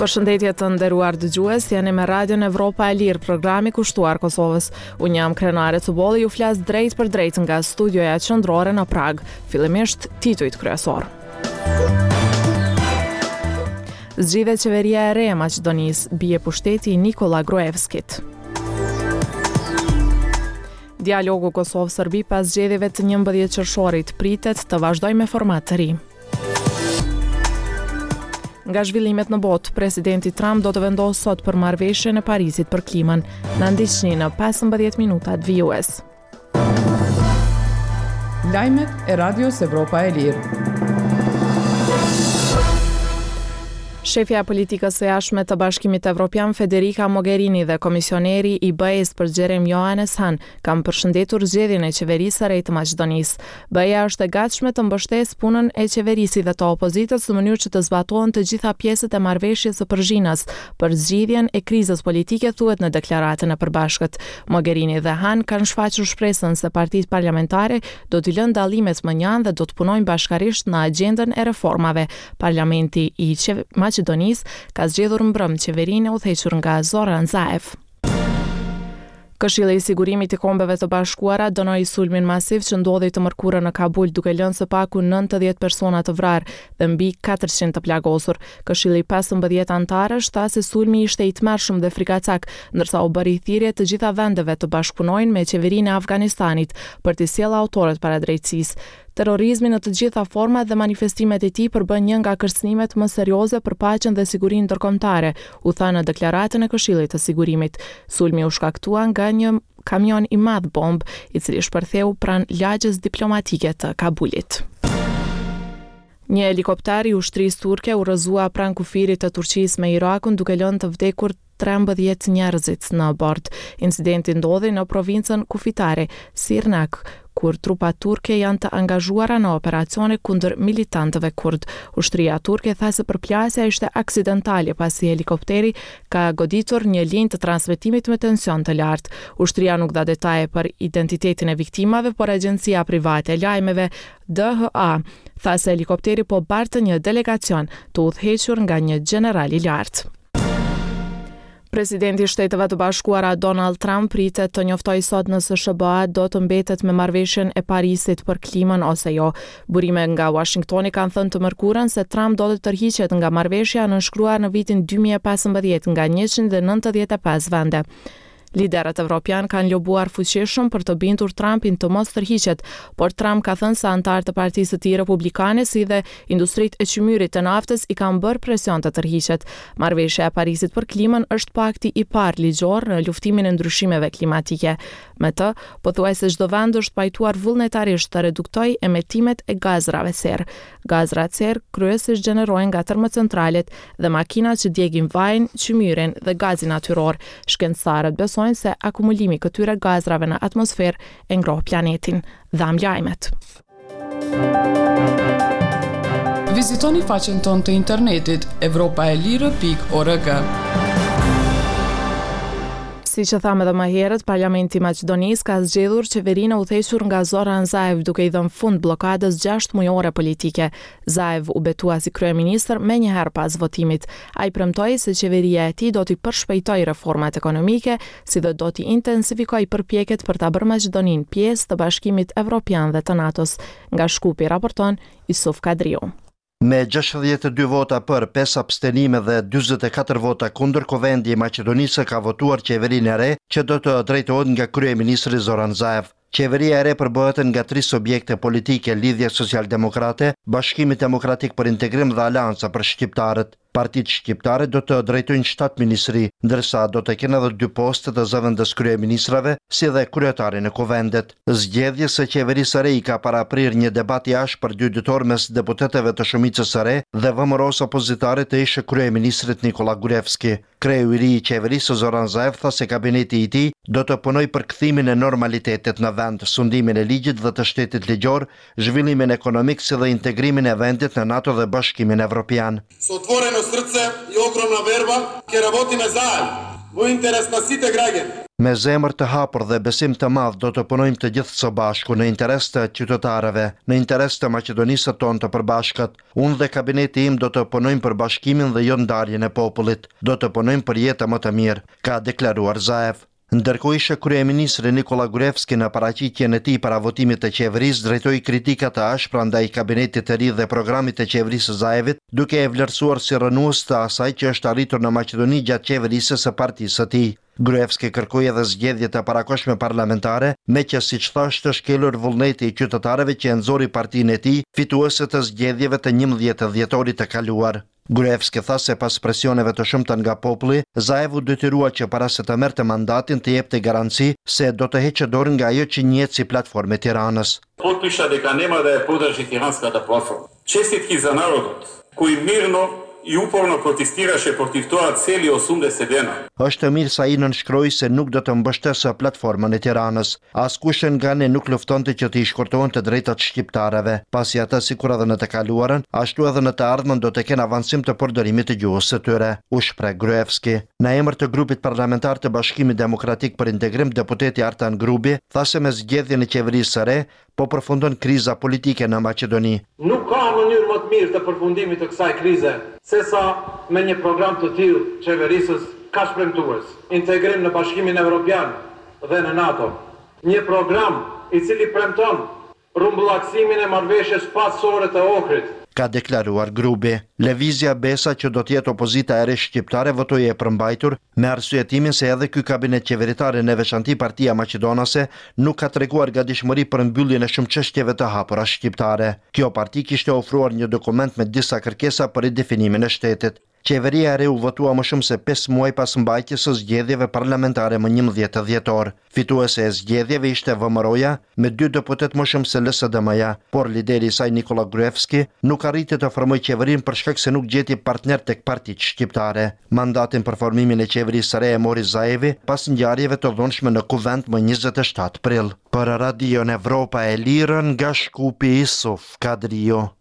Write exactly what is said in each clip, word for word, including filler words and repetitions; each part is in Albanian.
Përshëndetje të nderuar dëgjues, jeni me Radion Evropa e Lirë, programi kushtuar Kosovës. Unë jam Krenare Cubolli, ju flas drejt për drejt nga studioja qendrore në Pragë. Fillimisht titujt kryesor. Zgjidhet qeveria e re e Maqedonisë, bie pushteti i Nikola Gruevskit. Dialogu Kosovë-Serbi pas zgjedhjeve të njëmbëdhjetë qershorit pritet të vazhdojë me format të ri. Nga zhvillimet në botë, presidenti Trump do të vendosë sot për marrëveshjen e Parisit për klimën. Na ndiqni në pesëmbëdhjetë minutat vijues. Lajmet e Radios Evropa e Lirë. Shefja e politikës së jashtme të Bashkimit Evropian Federica Mogherini dhe komisioneri i B E-s për zgjerim Johannes Hahn kanë përshëndetur zgjedhjen e qeverisë së re të Maqedonisë. B E-ja është e gatshme të mbështesë punën e qeverisë dhe të opozitës në mënyrë që të zbatohen të gjitha pjesët e marrëveshjes së Përzhinës për zgjidhjen e krizës politike, thuhet në deklaratën e përbashkët. Mogherini dhe Hahn kanë shfaqur shpresën se partitë parlamentare do t'i lënë dallimet më njanë dhe do të punojnë bashkarisht në agjendën e reformave. Parlamenti i Maqedonisë ka zgjedhur mbrëm qeverinë e udhëhequr nga Zoran Zaev. Këshilli i Sigurimit i Kombeve të Bashkuara dënoi sulmin masiv që ndodhi të mërkurën në Kabul, duke lënë së paku nëntëdhjetë persona të vrarë dhe mbi katërqind të plagosur. Këshilli pesëmbëdhjetë anëtarësh tha se sulmi ishte i tmerrshëm dhe frikacak, ndërsa u bëri thirrje të gjitha vendeve të bashkëpunojnë me qeverinë e Afganistanit për t'i sjellë autorët para drejtësisë. Terrorizmi në të gjitha format dhe manifestimet e tij përbën një nga kërcënimet më serioze për paqen dhe sigurinë ndërkombëtare, u tha në deklaratën e Këshillit të Sigurimit. Sulmi u shkaktua nga një kamion i madh bombë, i cili shpërtheu pranë lagjes diplomatike të Kabulit. Një helikopter i ushtrisë turke u rrëzua pranë kufirit të Turqisë me Irakun, duke lënë të vdekur trembëdhjetë njerëzit në bord. Incidenti ndodhi në provincën kufitare Sirnak, kur trupat turke janë të angazhuara në operacione kundër militantëve kurd. Ushtria turke tha se përplasja ishte aksidentale pasi helikopteri ka goditur një linjë të transmetimit me tension të lartë. Ushtria nuk dha detaje për identitetin e viktimave, por agjencia private e lajmeve D H A tha se helikopteri po bartë një delegacion të udhëhequr nga një gjeneral i lartë. Presidenti i Shteteve të Bashkuara Donald Trump pritet të njoftojë sot nëse S H B A do të mbetet me marrëveshjen e Parisit për klimën ose jo. Burime nga Washingtoni kanë thënë të mërkurën se Trump do të tërhiqet nga marrëveshja e nënshkruar në vitin dy mijë e pesëmbëdhjetë nga njëqind e nëntëdhjetë e pesë vende. Liderët evropian kanë lobuar fuqishëm për të bindur Trumpin të mos tërhiqet, por Trump ka thënë se anëtarët të Partisë së tij Republikane si dhe industritë e qymyrit të naftës i kanë bërë presion të tërhiqet. Marrëveshja e Parisit për klimën është pakti i parë ligjor në luftimin e ndryshimeve klimatike. Me të, pothuajse çdo vend është pajtuar vullnetarisht të reduktojë emetimet e gazrave serë. Gazrat serë kryesisht gjenerohen nga termocentralet dhe makinat që djegin vajin, qymyrin dhe gazin natyror. Shkencëtarët besojnë se akumulimi i këtyre gazrave në atmosferë e ngroh planetin. Dham lajmet. Vizitoni faqen tonë të internetit evropa e lirë pikë org. Si që thamë edhe më herët, Parlamenti i Maqedonisë ka zgjedhur qeverinë e udhëhequr nga Zoran Zaev, duke i dhënë fund bllokadës gjashtë mujore politike. Zaev u betua si kryeministër menjëherë pas votimit. Ai premtoi se qeveria e tij do t'i përshpejtojë reformat ekonomike, si dhe do t'i intensifikojë përpjekjet për ta bërë Maqedoninë pjesë të Bashkimit Evropian dhe të NATO-s. Nga Shkupi raporton Isuf Kadriu. Me gjashtëdhjetë e dy vota për, pesë abstenime dhe dyzet e katër vota kundër, Kuvendi i Maqedonisë ka votuar qeverinë e re që do të drejtohet nga kryeministri Zoran Zaev. Qeveria e re përbëhet nga tri subjekte politike, Lidhja Socialdemokrate, Bashkimi Demokratik për Integrim dhe Aleanca për Shqiptarët. Partitë shqiptare do të drejtojnë shtatë ministri, ndërsa do të kenë edhe dy poste të zëvendës kryeministrave, si dhe kryetarin e kuvendit. Zgjedhjes së qeverisë së re i ka paraprirë një debat i ashpër dy ditor mes deputetëve të shumicës së re dhe V M R-së opozitare të ish kryeministrit Nikola Gruevski. Kreu i ri i qeverisë Zoran Zaev tha se kabineti i tij do të punojë për kthimin e normalitetit në vend, sundimin e ligjit dhe të shtetit ligjor, zhvillimin ekonomik si dhe integrimin e vendit në NATO dhe Bashkimin Evropian. Sa otvoreno srce i ogromna verba, ke работиме заедно Во интерес на сите граѓани. Me zemër të hapur dhe besim të madh do të punojmë të gjithë së bashku në interes të qytetarëve, në interes të Maqedonisë tonë të përbashkët. Unë dhe kabineti im do të punojmë për bashkimin dhe jo ndarjen e popullit. Do të punojmë për jetë më të mirë, ka deklaruar Zaev. Ndërkohë ishe kryeministri Nikola Gruevski në paraqitjen e tij para votimit të qeverisë drejtoi kritika të ashpra ndaj kabinetit të ri dhe programit të qeverisë Zaevit, duke e vlerësuar si rrënues të asaj që është arritur në Maqedoni gjatë qeverisë së partisë së tij. Gruevski kërkoi edhe zgjedhje të parakohshme parlamentare, me që siç tha është shkelur vullneti i qytetarëve që e nxori partinë e tij fituese të zgjedhjeve të njëmbëdhjetë dhjetorit të kaluar. Gruevski tha se pas presioneve të shumta nga populli, Zaev u detyrua që para se të merrte mandatin të jepte garanci se do të heqë dorë nga ajo që njihet si platformë e Tiranës. Potpiša дека нема да ја подржи Тиранската платформа. Честитки за народот, кој мирно и упорно протестираше против тоа цели осумдесет дена. Është mirë se ai nënshkroi se nuk do të mbështesë platformën e Tiranës. Askush nga ne nuk luftonte që të i shkurtohen të drejtat shqiptarëve, pasi ata sikur edhe në të kaluarën, ashtu edhe në të ardhmen do të kenë avancim të përdorimit të gjuhës së tyre, u shpreh Gruevski. Në emër të grupit parlamentar të Bashkimit Demokratik për Integrim, deputeti Artan Grubi tha se me zgjedhjen e qeverisë së re po përfundon kriza politike në Maqedoni. Nuk ka mënyrë më të mirë të përfundimit të kësaj krize sesa me një program të tillë qeverisës kaq premtues, integrim në Bashkimin Evropian dhe në NATO. Një program i cili premton rrumbullaksimin e marrëveshjes paqësore të Ohrit, ka deklaruar Grubi. Lëvizja Besa, që do të jetë opozita e re shqiptare, votoi e përmbajtur me arsyetimin se edhe ky kabinet qeveritar në veçanti Partia Maqedonase nuk ka treguar gatishmëri për mbylljen e shumë çështjeve të hapura shqiptare. Kjo parti kishte ofruar një dokument me disa kërkesa për ridefinimin e shtetit. Qeveria e re u votua më shumë se pesë muaj pas mbajtjes së zgjedhjeve parlamentare më njëmbëdhjetë dhjetor. Fituese e zgjedhjeve ishte V M R-ja me dy deputet më shumë se L S D M-ja, por lideri i saj Nikola Gruevski nuk arriti të formojë qeverinë për shkak se nuk gjeti partner tek partitë shqiptare. Mandatin për formimin e qeverisë së re e mori Zaevi pas ngjarjeve të dhunshme në Kuvend më njëzet e shtatë prill. Për Radion Evropa e Lirë nga Shkupi, Isuf Kadrio.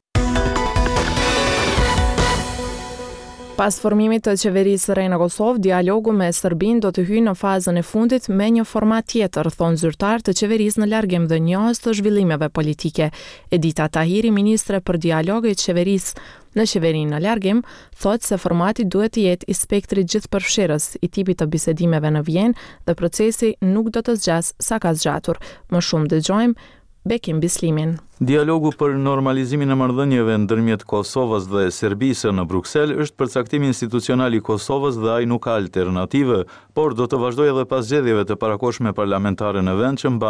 Pas formimit të qeverisë së re në Kosovë, dialogu me Serbinë do të hyjë në fazën e fundit me një format tjetër, thonë zyrtarë të qeverisë në largim dhe njohës të zhvillimeve politike. Edita Tahiri, ministre për dialog e qeverisë në qeverinë në largim, thotë se formati duhet të jetë i spektrit gjithëpërfshirës, i tipit të bisedimeve në Vjenë dhe procesi nuk do të zgjasë sa ka zgjatur. Më shumë dëgjojmë Bekim Bislimin. Dialogu për normalizimin e marrëdhënieve ndërmjet Kosovës dhe Serbisë në Bruksel është përcaktimi institucional i Kosovës dhe ai nuk ka alternative, por do të vazhdojë edhe pas zgjedhjeve të parakohshme parlamentare në vend që